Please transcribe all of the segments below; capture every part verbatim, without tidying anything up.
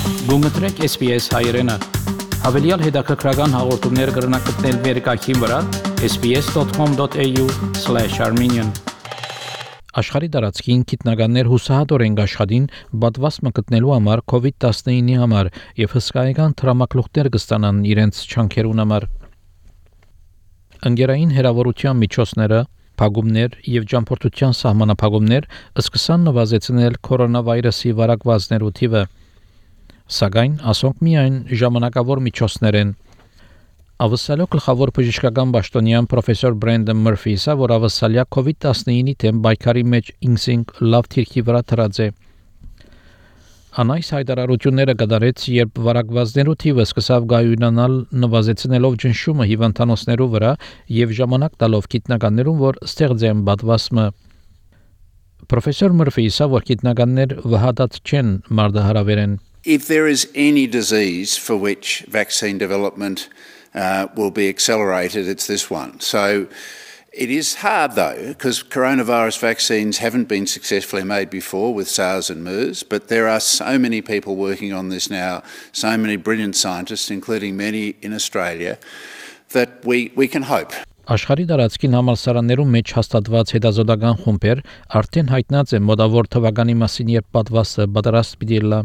Գումտրեք S B S հայերեն։ Հավելյալ հետաքրքրական հաղորդումներ կգրնակցնել վերկայքին վրա s b s dot com dot a u slash armenian Աշխարհի տարածքին գիտնականներ հուսահատորեն աշխատին պատվաստը գտնելու համար COVID nineteen-ի համար եւ հսկայական տրամակլուխներ կստանան իրենց չանքերուն համար։ Ընկերային հերավորության միջոցները, փակումներ եւ ճամփորդության սահմանափակումներ սկսան նվազեցնել կորոնավիրուսի վարակվածներու թիվը։ Սակայն ասոնք միայն ժամանակավոր միջոցներ են։ Ավսալյո գլխավոր բժշկական պաշտոնյան պրոֆեսոր Բրենդոն Մըրֆիսը, որ ավսալյա COVID nineteen-ի դեմ պայքարի մեջ ինքնին լավ թիրքի վրա դրած է։ Անայս հայտարարությունները կդարեց, երբ վարակվածներու թիվը սկսավ գայունանալ նվազեցնելով ճնշումը հիվանդանոցներու վրա եւ ժամանակ տալով գիտնականներուն, որ ստեղծեն պատվաստը։ Պրոֆեսոր Մըրֆիսը, որ գիտնականներ վհատած չեն մարդահրավերեն։ If there is any disease for which vaccine development uh, will be accelerated, it's this one. So it is hard though, because coronavirus vaccines haven't been successfully made before with SARS and MERS, but there are so many people working on this now, so many brilliant scientists, including many in Australia, that we, we can hope. Աշխարհի տարածքին համալսարաններում մեջ հաստատված հետազոտական խումբեր արդեն հայտնած են մոտավոր թվականի մասին, երբ պատվաստը պատրաստ պիտի լա։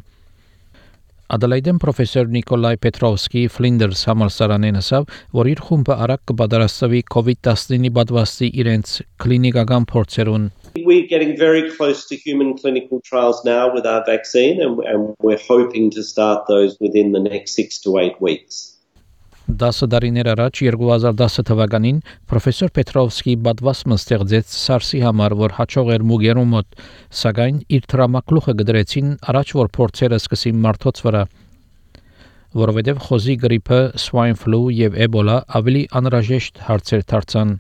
Ադելայդեն պրոֆեսոր Նիկոլայ Պետրովսկի Ֆլինդերս համալսարանեն ասավ, որ իր խումբը արագ կպատրաստվի COVID nineteen-ի պատվաստի իրենց կլինիկական փորձերուն։ We're getting very close to human clinical trials now with our vaccine and, and we're hoping to start those within the next six to eight weeks. Դասը դարիներ առաջ two thousand ten թվականին պրոֆեսոր Պետրովսկի պատվաստը ստեղծեց SARS-ի համար, որ հաջող էր մուգերու մոտ, սակայն իր տրամակլուխը գդրեցին առաջ, որ փորձերը սկսին մարդոց վրա, որովհետև խոզի գրիպը, swine flu եւ Ebola ավելի անհրաժեշտ հարցեր դարձան։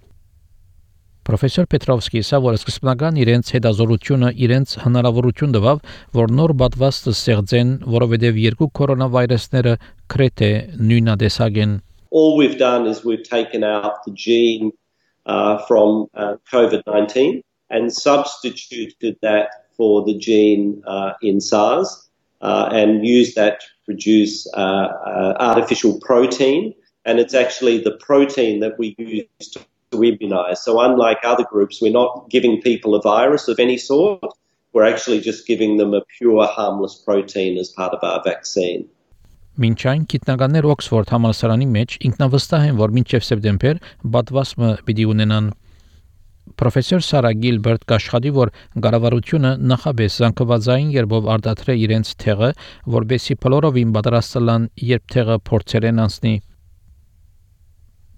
Պրոֆեսոր Պետրովսկի ասա, որ սկզբնական իրենց հետազոտությունը իրենց հնարավորություն տվավ, որ նոր պատվաստը ստեղծեն, որովհետև երկու կորոնավիրուսները քրեթե նույնատեսակ են։ All we've done is we've taken out the gene uh, from uh, COVID nineteen and substituted that for the gene uh, in SARS uh, and used that to produce uh, uh, artificial protein, and it's actually the protein that we use to to immunize. So unlike other groups, we're not giving people a virus of any sort. We're actually just giving them a pure harmless protein as part of our vaccine. Մինչ այն գիտնականներ Օքսֆորդ համալսարանի մեջ ինքնավստահ են, որ մինչև սեպտեմբեր պատվաստը պիտի ունենան։ Պրոֆեսոր Սարա Գիլբերտ կաշխատի, որ կառավարությունը նախաբես զանգվածային երբով արտադրե իրենց թեղը, որբեսի փլորովին պատրաստ լան, երբ թեղը փորձերեն անցնի։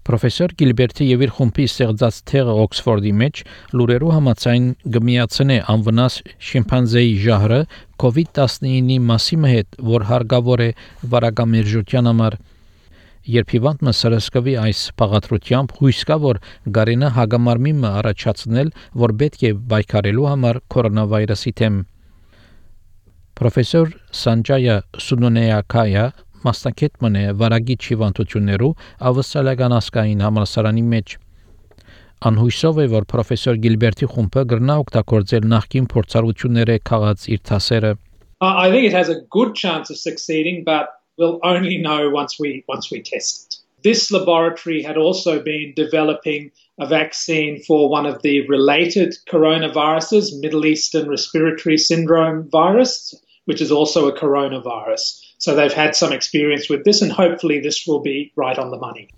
Պրոֆեսոր Գիլբերտի եւ իր խումբի ստեղծած թեղը Օքսֆորդի մեջ լուրերու համաձայն գմիացնե անվնաս շիմպանզեի ժահրը COVID nineteen-ի մասիմը հետ, որ հարգավոր է վարակամերժության համար։ Երբ հիվանդը սրսկվի այս բաղադրությամբ, հույս կա, որ գարենը հագամարմիմը առաջացնել, որ պետք է բայկարելու համար կորոնավիրուսի դեմ։ Պրոֆեսոր Սանջայա Սունոնեակայա մասնակետ մնե վարագիչ հիվանդություններու ավսալական ասկային համալսարանի մեջ։ Անհույսով է, որ պրոֆեսոր Գիլբերտի խումբը գրնա օգտագործել նախկին փորձառությունները քաղած իր թասերը։ I think it has a good chance of succeeding, but we'll only know once we once we test it. This laboratory had also been developing a vaccine for one of the related coronaviruses, Middle Eastern Respiratory Syndrome virus, which is also a coronavirus. So they've had some experience with this and hopefully this will be right on the money.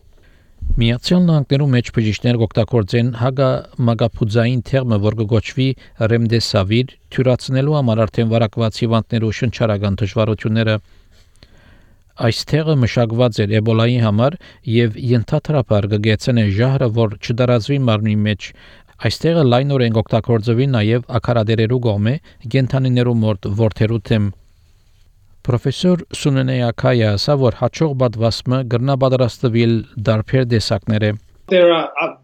Միացյալ Նահանգներու մեջ բժիշկներ կօգտագործեն հագամագապուձային թերմը, որ կոչվի Remdesivir, թյուրացնելու համար արդեն վարակված հիվանդներու շնչարական դժվարությունները։ Այս թեղը մշակված էր Էբոլայի համար եւ ենթադրաբար կգեցնե ժահրը, որ չդարազվի մարմնի մեջ։ Այս թեղը լայնորեն կօգտագործվի նաեւ ակարադերերու կողմէ գենթանիներու մոտ որդերու թեմ։ Պրոֆեսոր Սունենեակայա ասա, որ հաջող պատվաստը գրնա պատրաստվել դարբեր տեսակներ է։ There are uh,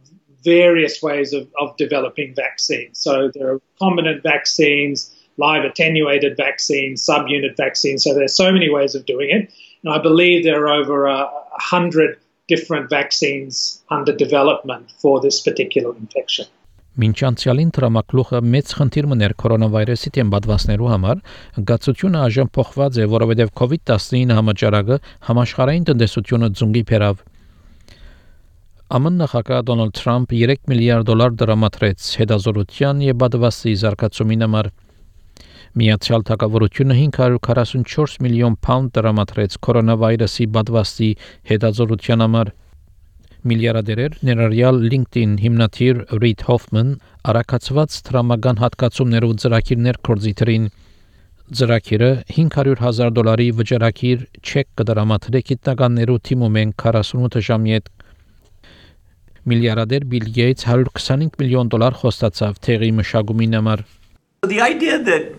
various ways of, of developing vaccines. So there are recombinant vaccines, live attenuated vaccines, subunit vaccines. So there's so many ways of doing it. And I believe there are over a uh, hundred different vaccines under development for this particular infection. Մինչ անցյալին տրամակլուխը մեծ խնդիր մներ կորոնավիրուսի դեմ պատվաստներու համար, գացությունը այժմ փոխված է, որովհետև COVID nineteen համաճարակը համաշխարհային տնտեսությունը ձունգի բերավ։ Ամն նախագահ Դոնալդ Թրամփ three միլիարդ դոլար դրամատրեց հետազոտության եւ պատվաստի զարգացումին համար։ Միացյալ Թագավորությունը five hundred forty-four միլիոն pound դրամատրեց կորոնավիրուսի պատվաստի հետազոտության համար։ Միլիարդերեր ներառյալ LinkedIn հիմնադիր Reid Hoffman արակացված տրամական հատկացումներով ծրագիրներ կորձիտրին ծրագիրը five hundred thousand դոլարի վճարակիր չեկ կդրամատրի գիտնականներու թիմում են forty-eight ժամի հետ միլիարդեր Bill Gates one hundred twenty-five միլիոն դոլար խոստացավ թեղի մշակումին համար. The idea that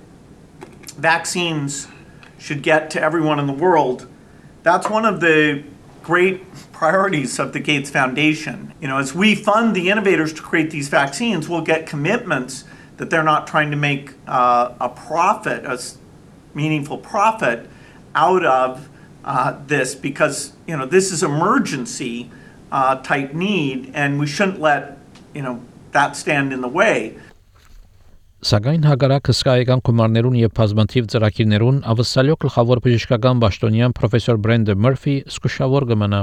vaccines should get to everyone in the world, that's one of the great priorities of the Gates Foundation. You know, as we fund the innovators to create these vaccines, we'll get commitments that they're not trying to make uh, a profit, a meaningful profit out of uh, this, because, you know, this is emergency uh, type need, and we shouldn't let, you know, that stand in the way. Սակայն հակառակ հսկայական գումարներուն եւ բազմաթիվ ծրագիրներուն ավսալյո գլխավոր բժշկական պաշտոնյան պրոֆեսոր Brenda Murphy զսկուշավոր կմնա.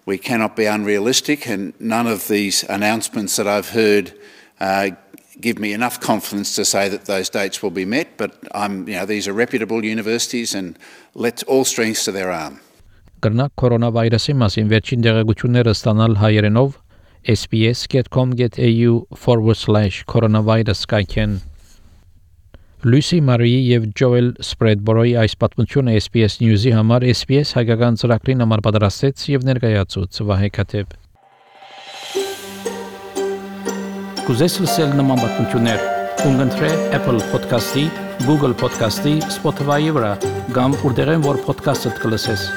We cannot be unrealistic, and none of these announcements that I've heard uh, give me enough confidence to say that those dates will be met, but I'm, you know, these are reputable universities, and let all strengths to their arm. Կրնակ կորոնավիրուսի մասին վերջին դեղեցությունները ստանալ հայերենով s b s dot com dot a u forward slash coronavirus կայքեն. Լույսի Մարիի եւ Ջոել Սպրեդբորոյի այս պատմությունը S B S News-ի համար S B S հայկական ծրագրին համար պատրաստեց եւ ներկայացուց Վահե Քաթեփ. Կուզես լսել նման պատմություններ, կընտրե Apple Podcast-ի, Google Podcast-ի, Spotify-ի վրա, կամ որտեղեն որ podcast-ը կլսես։